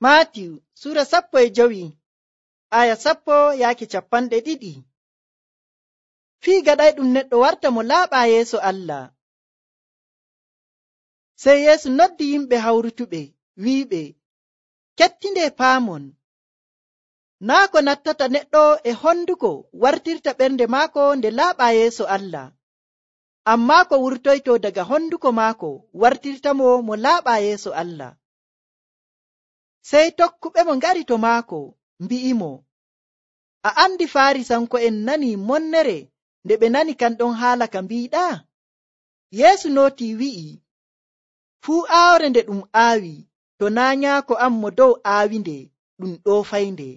Maatiyu sura 15 aya 10-20. Fii gaɗayɗum neɗɗo warta mo laaɓaa yeeso Allah. Sey Yeesu noddi yimɓe hawrutuɓe wi'iɓe, kettinde paamon. Naa ko nattata neɗɗo e honduko wartirta ɓernde maako nde laaɓaa yeeso Allah, ammaa ko wurtoyto daga honduko maako wartirtamo mo laaɓaa yeeso Allah. Sey tokkuɓemo ngari to maako mbi'imo, a andi Faarisanko'en nani monnere nde ɓe nani kan ɗon haala ka mbiiɗaa? Yeesu nootii wi'i, fuu aawre nde ɗum aawi, to naa nyaako am mo dow aawinde, ɗum ɗoofaynde.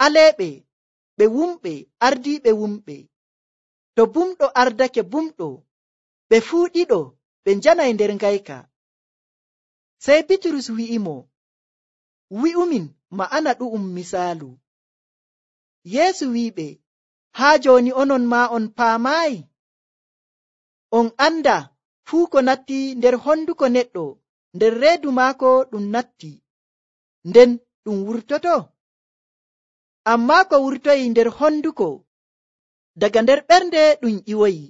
Aleeɓe ɓe wumɓe ardiiɓe wumɓe. To bumɗo ardake bumɗo, ɓe fuu ɗiɗo ɓe njanay nder ngayka. Sey Bitrus wi'imo, wi'umin ma'ana ɗu'um misaalu. Yeesu wi'iɓe, haa jooni onon maa on paamaayi? On anda fuu ko natti nder honduko neɗɗo, nder reedu maako ɗum natti, nden ɗum wurtoto? Ammaa ko wurtoyi nder honduko daga nder ɓernde ɗum ƴiwoyi,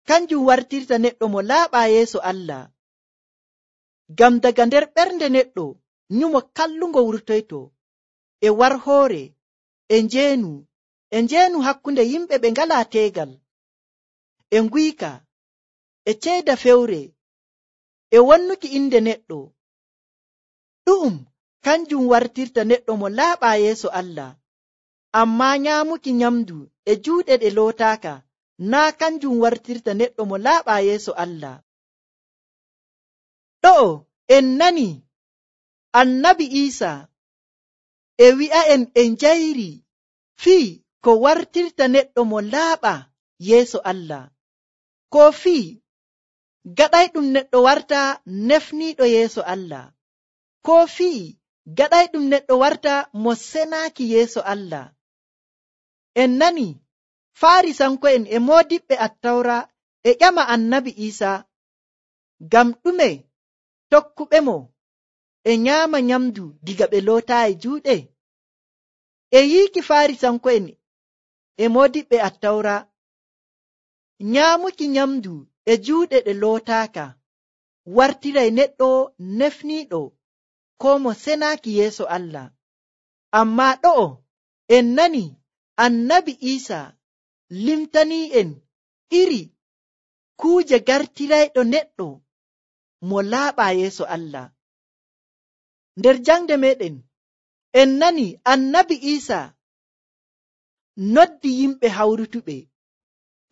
kanjum wartirta neɗɗo mo laaɓaa yeeso Allah. Ngam daga nder ɓernde neɗɗo nyumo kallungo wurtoyto, e warhoore, e njeenu hakkunde yimɓe ɓe ngalaa teegal, e nguyka, e ceyda fewre, e wonnuki inde neɗɗo. Ɗu'um kanjum wartirta neɗɗo mo laaɓaa yeeso Allah. Ammaa nyaamuki nyamdu e juuɗe ɗe lootaaka naa kanjum wartirta neɗɗo mo laaɓaa yeeso Allah. Ɗo'o en nani Annabi Iisaa e wi'a'en en njayri fii ko wartirta neɗɗo mo laaɓaa yeeso Allah, ko fii gaɗayɗum neɗɗo warta nefniiɗo yeeso Allah, ko fii gaɗayɗum neɗɗo warta mo senaaki yeeso Allah. En nani Faarisanko'en e moodiɓɓe Attawra e ƴama Annabi Iisaa ngam ɗume tokkuɓemo e nyaama nyamdu diga ɓe lootaayi juuɗe. E yiiki Faarisanko'en e moodiɓɓe Attawra, nyaamuki nyamdu e juuɗe ɗe lootaaka wartiray neɗɗo nefniiɗo ko mo senaaki yeeso Allah. Ammaa ɗo'o en nani Annabi Iisaa limtanii'en iri kuuje gartirayɗo neɗɗo mo laaɓaa yeeso Allah. Nder jangde meɗen en nani Annabi Iisaa noddi yimɓe hawrutuɓe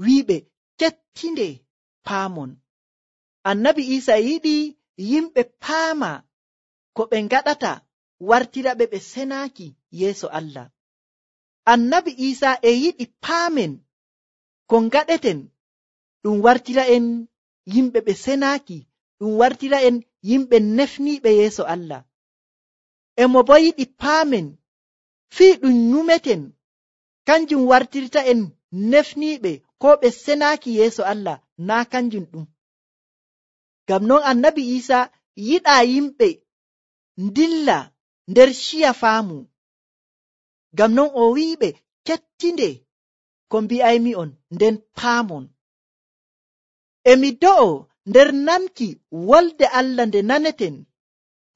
wi'iɓe, kettinde paamon. Annabi Iisaa yiɗi yimɓe paama ko ɓe ngaɗata wartira ɓe senaaki yeeso Allah. Annabi Iisaa e yiɗi paamen ko ngaɗeten ɗum wartira en yimɓe ɓe senaaki, ɗum wartira en yimɓe nefniiɓe yeeso Allah. Emo bo yiɗi paamen fii ɗum nyumeten kanjum wartirta en nefniiɓe ko ɓe senaaki yeeso Allah, naa kanjum ɗum. Ngam non Annabi Iisaa yiɗaa yimɓe ndilla nder ciya faamu. Ngam non o wi'iɓe, kettinde ko mbi'aymi'on nden paamon. Emi do'o nder namki wolde Allah nde naneten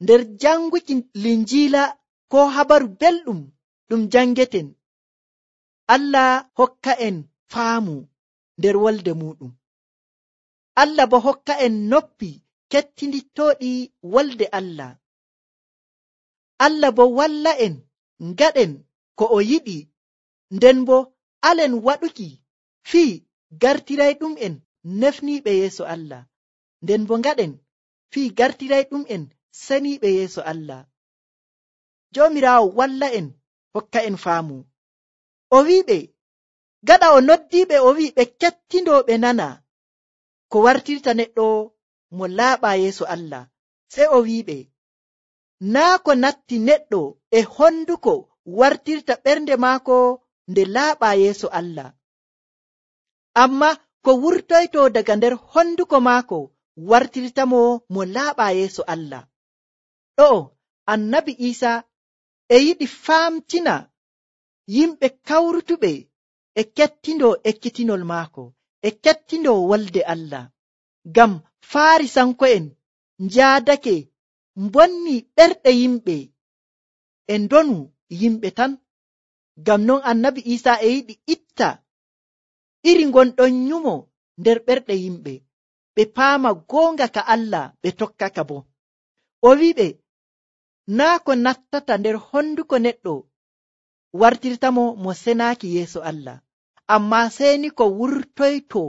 nder janguki Linjiila ko habaru belɗum ɗum jangeten. Allah hokka en faamu nder wolde muɗum. Allah bo hokka en noppi kettinittooɗi wolde Allah. Allah bo walla en ngaɗen ko o yiɗi, nden bo alen waɗuki fii gartirayɗum en nefniiɓe yeeso Allah, nden bo ngaɗen fii gartirayɗum en seniiɓe yeeso Allah. Joomiraawo walla en hokka en faamu. O wi'iɓe, gaɗa o noddiiɓe o wi'i ɓe kettindoo ɓe nana ko wartirta neɗɗo mo laaɓaa yeeso Allah. Sey o wi'iɓe, naa ko natti neɗɗo e honduko wartirta ɓernde maako nde laaɓaa yeeso Allah, amma ko wurtoyto daga nder honduko maako wartirtamo mo laaɓaa yeeso Allah. Ɗo'o annabi Isa e yiɗi famtina yimɓe kawrutuɓe e kettindo ekkitinol maako, e kettindo wolde Allah. Ngam Farisanko'en njaadake mbonni ɓerɗe yimɓe e ndonu yimɓe tan. Ngam non annabi Isa e yiɗi itta iri ngonɗon nyumo nder ɓerɗe yimɓe, ɓe paama goonga ka Allah ɓe tokkaka bo. O wiɓe naa ko nattata nder honduko neɗɗo wartirtamo mo senaaki yeeso Allah, amma seni ko wurtoyto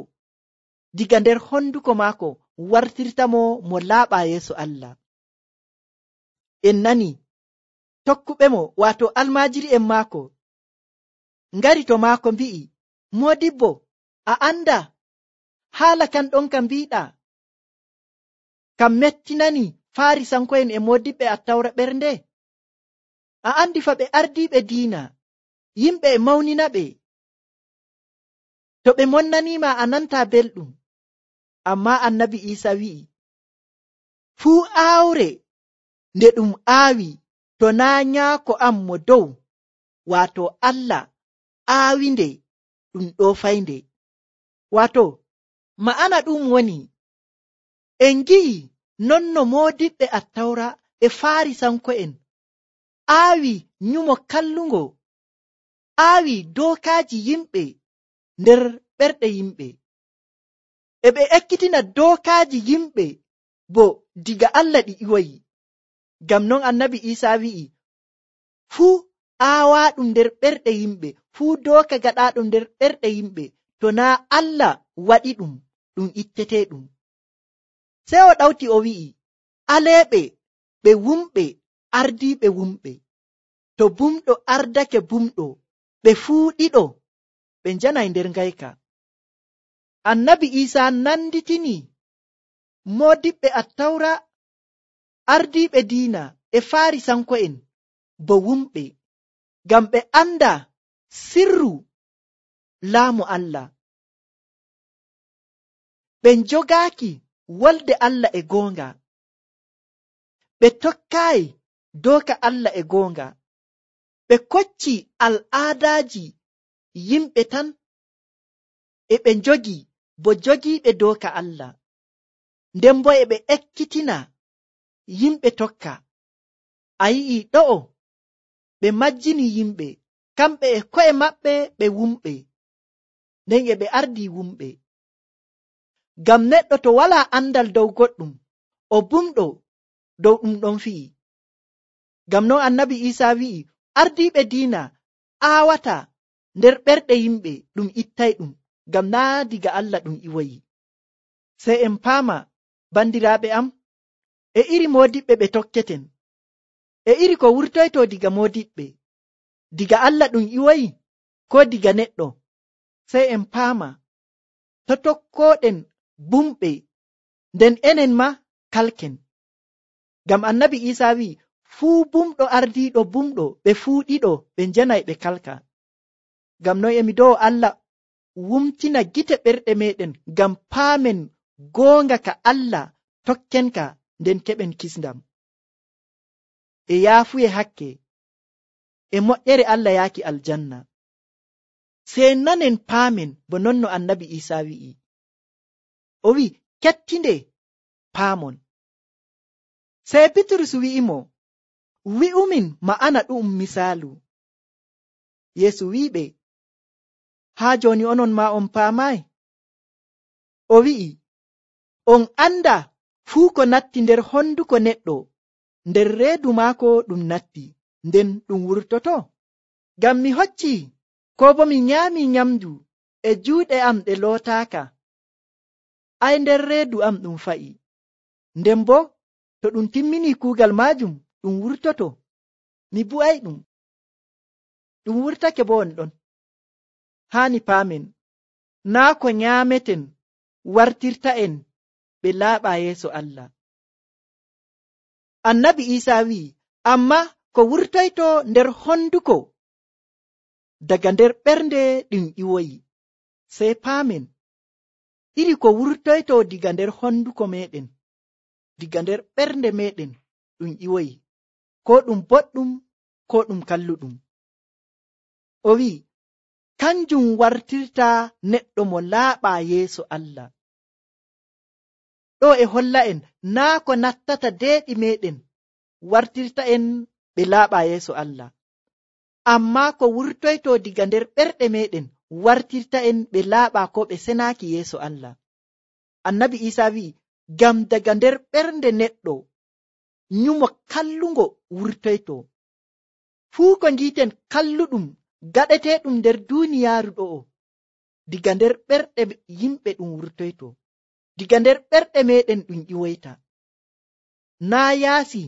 diga nder honduko maako wartirtamo mo laaɓa yeeso Allah. En nani tokkuɓe mo, wato almaajiri en maako, ngari to maako mbi'i, Modibbo, a anda haala kan ɗon ka mbiɗa kam mettinani Farisanko'en e modiɓɓe Attawra ɓernde? A andi fa ɓe ardiiɓe diina, yimɓe e mawnina ɓe. To ɓe monnanima a nanta belɗum. Amma annabi Isa wi'i, fuu aawre nde ɗum aawi to naa nyaako am mo dow, wato Allah aawinde, ɗum ɗoofaynde. Wato ma'ana ɗum woni, en gi'i non no modiɓɓe Attawra e Farisanko'en aawi nyumo kallungo, aawi dookaaji yimɓe nder ɓerɗe yimɓe, e ɓe ekkitina dookaaji yimɓe bo diga Allah ɗi iwoyi. Ngam non annabi Isa wi'i, fuu aawaaɗum nder ɓerɗe yimɓe, fuu dooka gaɗaaɗum nder ɓerɗe yimɓe, to naa Allah waɗi ɗum, ɗum itteteeɗum. Sey o ɗawti o wi'i, aleeɓe ɓe wumɓe ardiiɓe wumɓe, to bumɗo ardake bumɗo, ɓe fuu ɗiɗo ɓe njanay nder ngayka. Annabi Isa nanditini modiɓɓe Attawra, ardiiɓe diina e Farisanko'en bo wumɓe, ngam ɓe anda sirru laamu Allah. Ɓe njogaaki wolde Allah e goonga, ɓe tokkaayi dooka Allah e goonga, ɓe kocci al'aadaaji yimɓe tan, e ɓe njogi bo jogiiɓe dooka Allah, nden bo e ɓe ekkitina yimɓe tokka. A yi'i ɗo'o ɓe majjini yimɓe, kamɓe e ko'e maɓɓe ɓe wumɓe, nden e ɓe ardi wumɓe. Ngam neɗɗo to walaa andal dow goɗɗum, o bumɗo dow ɗum ɗon fi'i. Ngam non annabi Isa wi'i, ardiiɓe diina aawata nder ɓerɗe yimɓe ɗum ittay ɗum, ngam naa diga Allah ɗum iwoyi. Sey en paama, bandiraaɓe am, e iri modiɓɓe ɓe tokketen, e iri ko wurtoyto diga modiɓɓe, diga Allah ɗum iwoyi ko diga neɗɗo. Sey en paama, to tokkoɗen bumɓe, nden enen ma kalken. Ngam annabi Isa wi'i, fuu bumɗo ardiiɗo bumɗo, ɓe fuu ɗiɗo ɓe njanay ɓe kalka. Ngam non emi dow Allah wumtina gite ɓerɗe meɗen, ngam paamen goonga ka Allah tokkenka, nden keɓen kisndam e yaafuye hakke e moƴƴere Allah yaaki aljanna. Sey nanen paamen bo non no annabi Isa wi'i. O wi'i, kettinde paamon. Sey Bitrus wi'imo, wi'umin ma'ana ɗum misaalu. Yeesu wi'iɓe, haa jooni onon ma on paamay? O wi'i, on anda fuu ko natti nder honduko neɗɗo, nder reedu maako ɗum natti, nden ɗum wurtoto. Ngam mi hocci ko bo mi nyaami nyamdu e juuɗe am ɗe lootaaka, ay nder reedu am ɗum fa'i, nden bo to ɗum timmini kuugal maajum ɗum wurtoto, mi bu'ay ɗum. Ɗum wurtake bo on ɗon. Haani paamen, naa ko nyaameten wartirta en ɓe laaɓa yeeso Allah. Annabi Isa wi'i, amma ko wurtoyto nder honduko, daga nder ɓernde ɗum iwoyi. Sey paamen, iri ko wurtoyto diga nder honduko meɗen, diga nder ɓernde meɗen ɗum iwoyi. ko ɗum boɗɗum ko ɗum kalluɗum. O wi'i kanjum wartirta neɗɗo mo laaɓaa yeeso Allah. Ɗo e holla en naa ko nattata deeɗi meɗen wartirta en ɓe laaɓaa yeeso Allah, ammaa ko wurtoyto diga nder ɓerɗe meɗen wartirta en ɓe laaɓaa ko ɓe senaaki yeeso Allah. Annabi Iisaa wi'i ngam daga nder ɓernde neɗɗo nyumo kallungo wurtoyto. Fuu ko ngiiten kalluɗum gaɗeteeɗum nder duuniyaaru ɗo'o diga nder ɓerɗe yimɓe ɗum wurtoyto, diga nder ɓerɗe meɗen ɗum iwoyta. Naa yaasi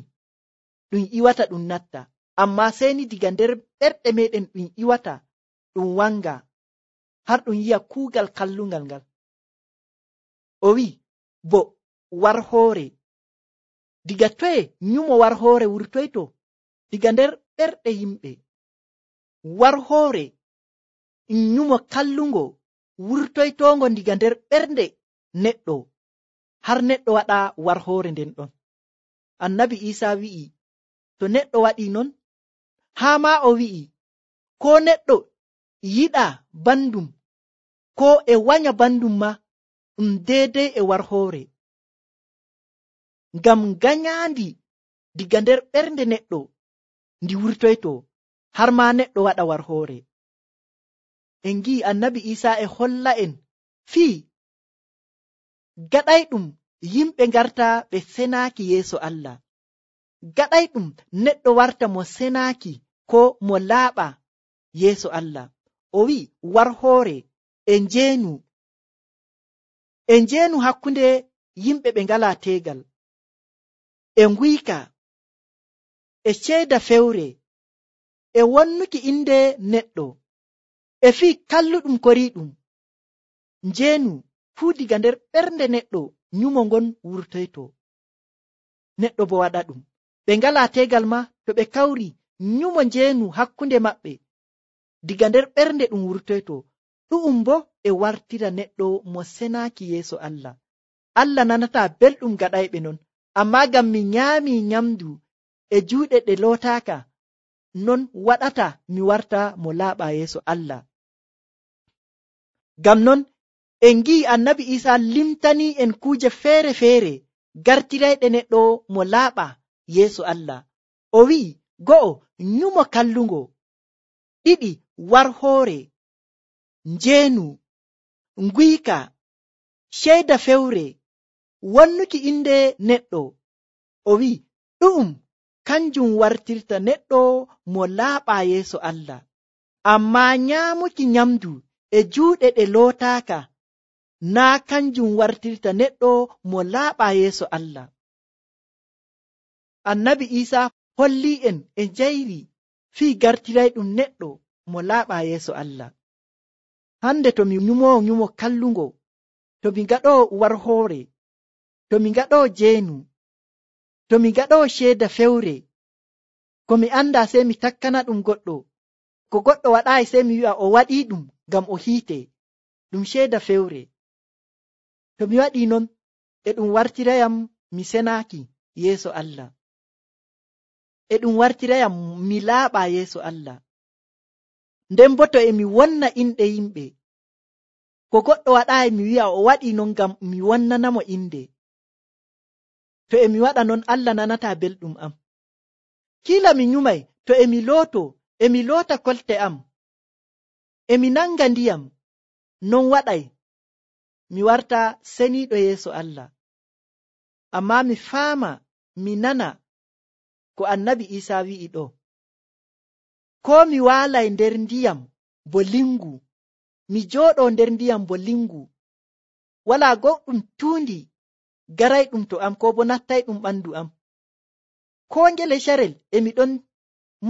ɗum iwata ɗum natta, ammaa seni diga nder ɓerɗe meɗen ɗum iwata ɗum wanga har ɗum yi'a kuugal kallungal ngal. O wi'i bo war hoore, diga toye nyumo war hoore wurtoyto? Diga nder ɓerɗe yimɓe. War hoore nyumo kallungo wurtoytongo diga nder ɓernde neɗɗo har neɗɗo waɗa war hoore nden ɗon. Annabi Iisaa wi'i to neɗɗo waɗi non, haa ma o wi'i ko neɗɗo yiɗa bandum ko e wanya bandum ma ɗum deedey e war hoore, ngam ganyaandi diga nder ɓernde neɗɗo ndi wurtoyto har ma neɗɗo waɗa war hoore. En gi'i Annabi Iisaa e holla en fii gaɗayɗum yimɓe ngarta ɓe senaaki yeeso Allah, gaɗayɗum neɗɗo warta mo senaaki ko mo laaɓa yeeso Allah. O wi'i war hoore e njeenu hakkunde yimɓe ɓe ngalaa teegal, e nguyka, e ceeda fewre, e wonnuki inde neɗɗo, e fii kalluɗum koriiɗum. Njeenu fuu diga nder ɓernde neɗɗo nyumo ngon wurtoyto, neɗɗo bo waɗa ɗum. Ɓe ngalaa teegal ma to ɓe kawri nyumo njeenu hakkunde maɓɓe diga nder ɓernde ɗum wurtoyto. Ɗu'um bo e wartira neɗɗo mo senaaki yeeso Allah. Allah nanataa belɗum gaɗayɓe non, ammaa ngam mi nyaami nyamdu e juuɗe ɗe lootaaka, non waɗata mi warta mo laaɓaa yeeso Allah. Ngam non en ngi'i Annabi Iisaa limtanii en kuuje feere-feere gartirayɗe neɗɗo mo laaɓa yeeso Allah. O wi'i go'o nyumo kallungo, ɗiɗi war hoore, njeenu, nguyka, ceeda fewre, wonnuki inde neɗɗo. O wi'i ɗu'um kanjum wartirta neɗɗo mo laaɓaa yeeso Allah, ammaa nyaamuki nyamdu e juuɗe ɗe lootaaka naa kanjum wartirta neɗɗo mo laaɓaa yeeso Allah. Annabi Iisaa holli en e njayri fii gartirayɗum neɗɗo mo laaɓaa yeeso Allah. Hande to mi nyumoo nyumo kallungo, to mi gaɗoo war hoore, to mi gaɗoo jeenu, to mi gaɗoo ceeda fewre, ko mi anda sey mi takkana ɗum goɗɗo, ko goɗɗo waɗaayi sey mi wi'a o waɗii ɗum ngam o hiite, ɗum ceeda fewre. To mi waɗii non e ɗum wartirayam mi senaaki yeeso Allah, e ɗum wartirayam mi laaɓaa yeeso Allah. Nden bo to e mi wonna inɗe yimɓe, ko goɗɗo waɗaayi mi wi'a o waɗii non ngam mi wonnanamo inde. To e mi waɗa non Allah nanataa belɗum am. Kiila mi nyumay to e mi loota kolte am, e mi nanga ndiyam, non waɗay mi warta seniiɗo yeeso Allah. Ammaa mi faama mi nana ko Annabi Iisaa wi'i ɗo. Koo mi waalay nder ndiyam bo lingu, mi jooɗoo nder ndiyam bo lingu, walaa goɗɗum tuundi garayɗum to am ko bo nattayɗum ɓandu am. Koo ngele carel e mi ɗon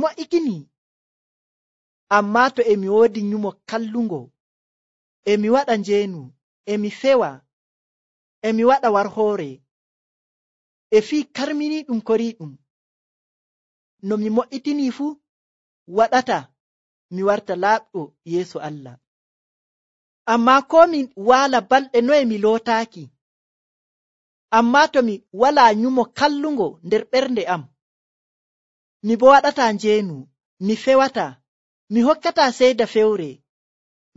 mo'ikini, ammaa to e mi woodi nyumo kallungo, e mi waɗa njeenu, e mi fewa, e mi waɗa war hoore, e fii karminiiɗum koriiɗum, no mi mo'itinii fuu waɗata mi warta laaɓɗo yeeso Allah. Ammaa koo mi waala balɗe noye mi lootaaki, ammaa to mi walaa nyumo kallungo nder ɓernde am, mi bo waɗata njeenu, mi fewata, mi hokkata seeda fewre,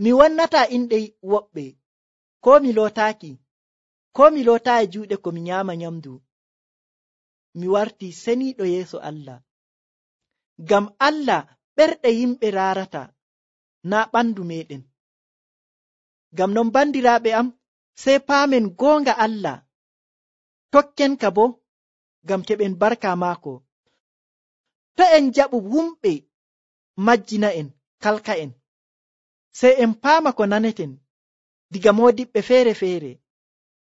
mi wannata inɗe woɓɓe, ko mi lootaaki, ko mi lootaayi juuɗe ko mi nyaama nyamdu. Mi warti seniiɗo yeeso Allah. Ngam Allah ɓerɗe yimɓe raarata, naa ɓandu meɗen. Ngam non bandiraaɓe am, sey paamen goonga Allah, tokken ka bo, ngam keɓen barka maako. To en jaɓu wumɓe majjina en, kalka en, sey en paama ko naneten diga moodiɓɓe feere-feere.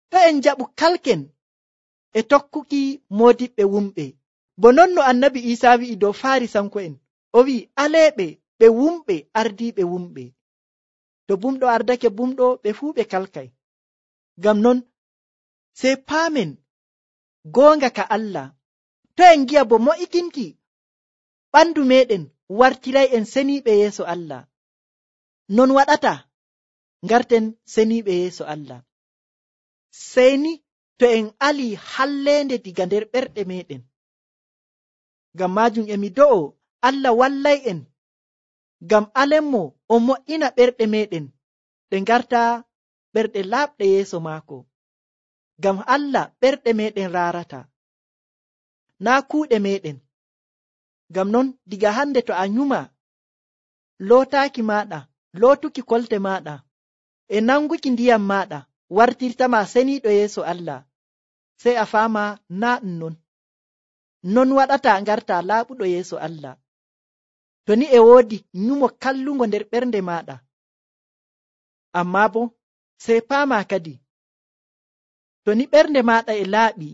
To en jaɓu kalken e tokkuki moodiɓɓe wumɓe, bo non no annabi Iisaa wi'i dow Faarisanko'en, o wi'i aleeɓe ɓe wumɓe ardiiɓe wumɓe. To bumɗo ardake bumɗo, ɓe fuu ɓe kalkay. Ngam non sey paamen goonga ka Allah. To en ngi'a bo mo'ikinki ɓandu meɗen wartiray en seniiɓe yeeso Allah. Non waɗata ngarten seniiɓe yeeso Allah. Sey ni to en alii halleende diga nder ɓerɗe meɗen. Ngam maajum e mi do'o Allah wallay en, ngam alenmo o mo'ina ɓerɗe meɗen ɗe ngarta ɓerɗe laaɓɗe yeeso maako. Ngam Allah ɓerɗe meɗen raarata, naa kuuɗe meɗen. Ngam non diga hande to a nyuma, lootaaki maɗa, lootuki kolte maɗa, e nanguki ndiyam maɗa wartirtama seniiɗo yeeso Allah, sey a faama naa ɗum non. Non waɗata ngarta laaɓuɗo yeeso Allah. To ni e woodi nyumo kallungo nder ɓernde maɗa, amma bo sey paama kadi, to ni ɓernde maɗa e laaɓi,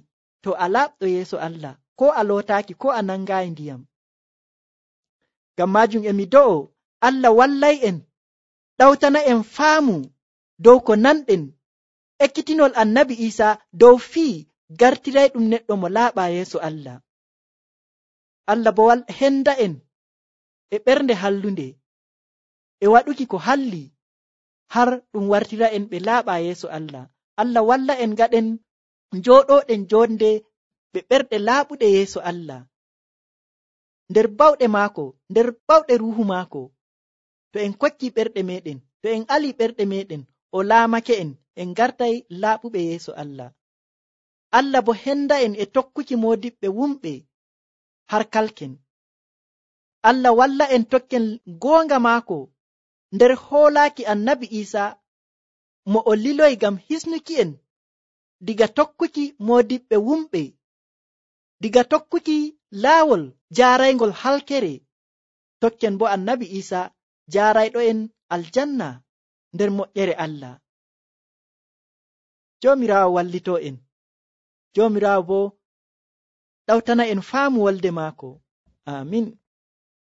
to a laaɓɗo yeeso Allah, ko a lootaaki, ko a nangaayi ndiyam. Ngam maajum e mi do'o Allah wallay en, ɗawtana en faamu dow ko nanɗen ekkitinol annabi Iisaa dow fii gartiray ɗum neɗɗo mo laaɓa yeeso Allah. Allah bo henda en e ɓernde hallunde, e waɗuki ko halli, har ɗum wartira en ɓe laaɓa yeeso Allah. Allah walla en gaɗen njooɗoɗen jonde ɓe ɓerɗe laaɓuɗe yeeso Allah, nder bawɗe maako, nder bawɗe ruuhu maako. To en kokki ɓerɗe meɗen, to en ali ɓerɗe meɗen, o laamake en, en gartay laaɓuɓe yeeso Allah. Allah bo henda en e tokkuki moodiɓɓe wumɓe har kalken. Allah walla en tokken goonga maako nder hoolaaki annabi Iisaa mo o liloy ngam hisnuki en diga tokkuki moodiɓɓe wumɓe, diga tokkuki laawol jaaraygol halkere, tokken bo annabi Iisaa jaarayɗo en aljanna nder moƴƴere Allah. Joomiraawo wallito en, Joomiraawo bo ɗawtana en faamu wolde maako. Amin.